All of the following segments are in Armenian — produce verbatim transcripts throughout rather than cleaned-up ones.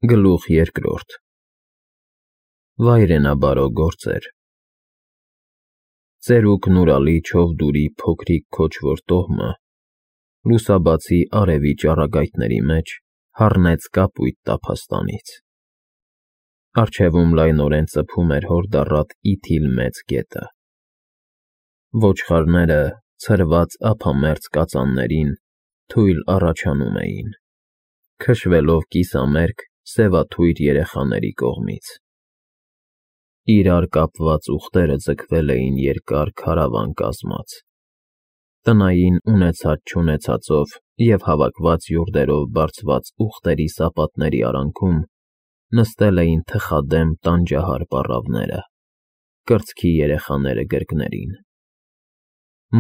Գլուխ երկրորդ Վայրենաբարո գործեր Ծերուկ Նուրալի Չովդուրի փոքրիկ քոչվոր տոհմը լուսաբացի արևի ճառագայթների մեջ հառնեց կապույտ տափաստանից։ Առջևում լայնորեն ծփում էր հորդառատ իթիլ մեծ գետը։ Ոչխարները, ցրված ափամերձ կածաններին, թույլ առաջանում էին, քշվելով կիսամերկ, սևաթույր երեխաների կողմից։ Իրար կապված ուղտերը ձգվել էին երկար քարավան կազմած։ Տնային ունեցած-չունեցածով և հավաքված յուրդերով բարձված ուղտերի սապատների արանքում նստել էին թխադեմ տանջահար պառավները, կրծքի երեխաները գրկներին։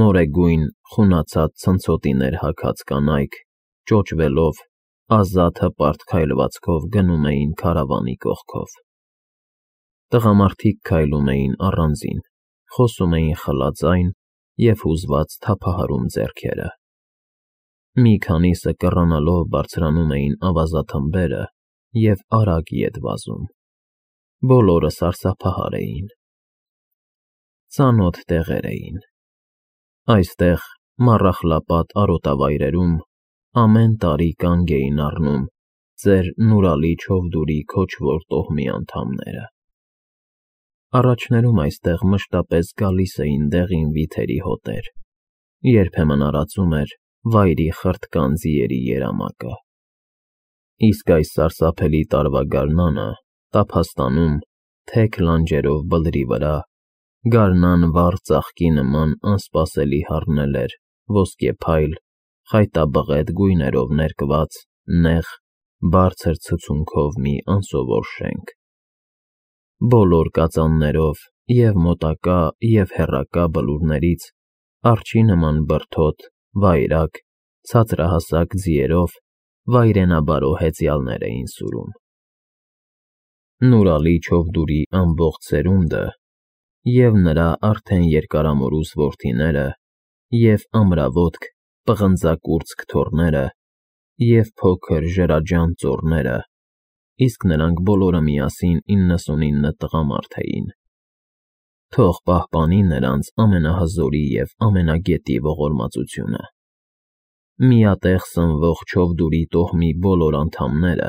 Մորեգույն, խունացած ցնցոտիներ հագած կանայք, ճոճվելով, ազատ հպարտ քայլվածքով գնում էին քարավանի կողքով։ Տղամարդիկ քայլում էին առանձին, խոսում էին խլաձայն և հուզված թափահարում ձեռքերը։ Մի քանիսը կռանալով բարձրանում էին ավազաթմբերը և արագ ետ վազում։ Բոլորը սարսափահար էին։ Ծանոթ տեղեր էին։ Այստեղ, Մառախլապատ արոտավայրերում, ամեն տարի կանգ էին առնում ծեր Նուրալի Չովդուրի քոչվոր տոհմի անդամները։ Առաջներում այստեղ մշտապես գալիս էին դեղին վիթերի հոտեր, երբեմն արածում էր վայրի խրտկան ձիերի երամակը։ Իսկ այս սարսափելի տարվա գարնանը տափաստանում, թեք լանջերով բլրի վրա, գարնան վառ ծաղկի նման անսպասելի հառնել էր ոսկեփայլ, խայտաբղետ գույներով ներկված, նեղ, բարձր ցցունքով մի անսովոր շենք։ Բոլոր կածաններով և մոտակա, և հեռակա բլուրներից արջի նման բրդոտ, վայրագ, ցածրահասակ ձիերով վայրենաբարո հեծյալներ էին սուրում։ Նուրալի Չովդուրի ամբողջ սերունդը, և նրա արդեն երկարամորուս որդիները, և ամրավոտք, պղնձակուրծք թոռները, և փոքր ժրաջան ծոռները, իսկ նրանք բոլորը միասին իննսունինը տղամարդ էին, թող պահպանի նրանց ամենահզորի և ամենագետի ողորմածությունը։ Միատեղ սնվող Չովդուրի տոհմի բոլոր անդամները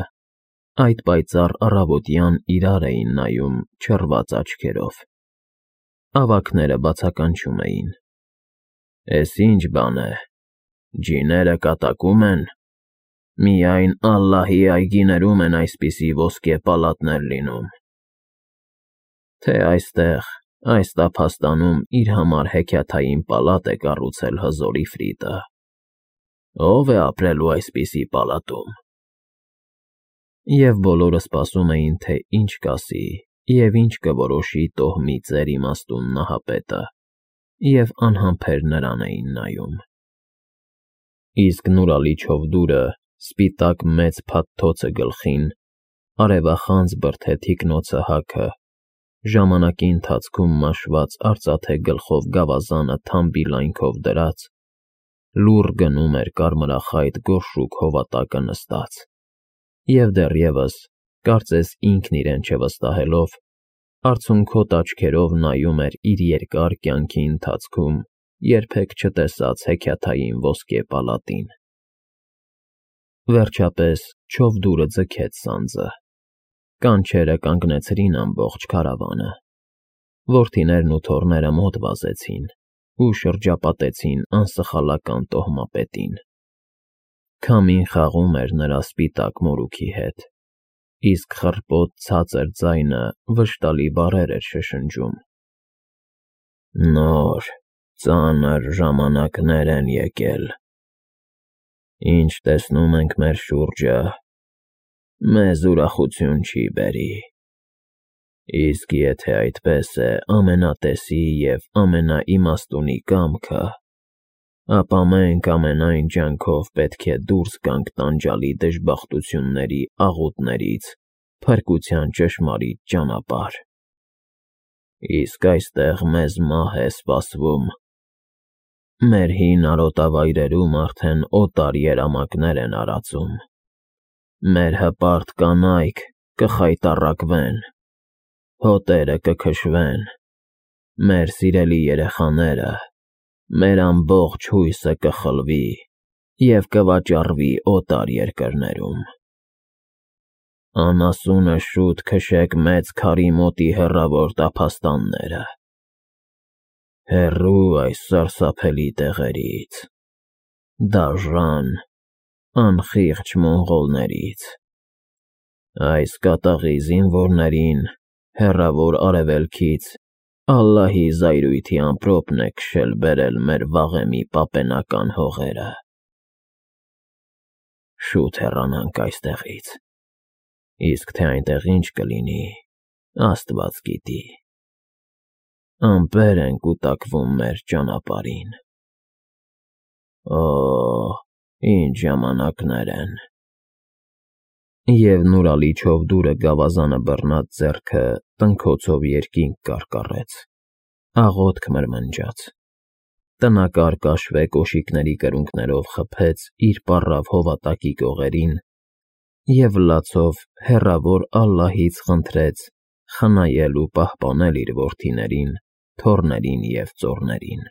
այդ պայծառ առավոտյան իրար էին նայում չռված աչքերով։ Ավագները բացականչում էին. «Էս ի՞նչ բան է, ջիները կատակում են։ Միայն ալլահի այգիներում են այսպիսի ոսկե պալատներ լինում։ Թե այստեղ, այս տափաստանում իր համար հեքիաթային պալատ է կառուցել հզոր Իֆրիտը։ Ո՞վ է ապրելու այսպիսի պալատում»։ Եվ բոլորը սպասում էին, թե ինչ կասի և ինչ կորոշի տոհմի ծեր իմաստուն Նահապետը, և անհամբեր նրան էին նայում։ Իսկ Նուրալի Չովդուրը, սպիտակ մեծ փաթթոցը գլխին, արևախանձ բրդե թիկնոցը հագը, ժամանակի ընթացքում մաշված արծաթե գլխով գավազանը թամբի լայնքով դրած, լուռ գնում էր կարմրախայտ գորշուկ հովատակը նստած, և դեռևս, կարծես ինքն իրեն չվստահելով, արցունքոտ աչքերով նայում էր իր երկար կյանքի ընթացքում երբեք չտեսած հեքիաթային ոսկե պալատին։ Վերջապես Չովդուրը ձգեց սանձը։ Կանչերը կանգնեցրին ամբողջ քարավանը։ Որդիներն ու թոռները մոտ վազեցին ու շրջապատեցին անսխալական տոհմապետին։ Քամին խաղում էր նրա սպիտակ մորուքի հետ, իսկ խռպոտ ցածր ձայնը վշտալի բառեր էր շշնջում. «Նոր, ծանր ժամանակներ են եկել։ Ինչ տեսնում ենք մեր շուրջը, մեզ ուրախություն չի բերի։ Իսկ եթե այդպես է ամենատեսի և ամենաիմաստունի կամքը, ապա մենք ամենայն ջանքով պետք է դուրս գանք տանջալի դժբախտությունների աղուտներից փրկության ճշմարիտ ճանապարհ։ Իսկ այստեղ մեզ մահ է սպասվում։ Մեր հին արոտավայրերում արդեն օտար երամակներ են արածում։ Մեր հպարտ կանայք կխայտառակվեն, հոտերը կքշվեն, մեր սիրելի երեխաները, մեր ամբողջ հույսը կխլվի և կվաճառվի օտար երկրներում։ Անասունը շուտ քշեք մեծ քարի մոտի հեռավոր տափաստանները, հեռու այս սարսափելի տեղերից, դաժան, անխիղճ մոնղոլներից։ Այս կատաղի զինվորներին հեռավոր արևելքից Ալլահի զայրույթի ամպրոպն է քշել բերել մեր վաղեմի պապենական հողերը։ Շուտ հեռանանք այստեղից, իսկ թե այնտեղ ինչ կլինի, Աստված գիտի։ Ամպեր են կուտակվում մեր ճանապարհին։ Օ՜, ինչ ժամանակներ են… Եվ նորալիչով դուռը գավազանը բռնած ձեռքը տնքոցով երկինք կարկառեց, աղոթք մրմնջաց, տնակար կաշվե կոշիկների կրունկներով խփեց իր պառավ հովատակի կողերին և լացով հեռավոր Ալլահից խնդրեց խնայել ու պահպանել իր որդիներին, թոռներին և ծոռներին։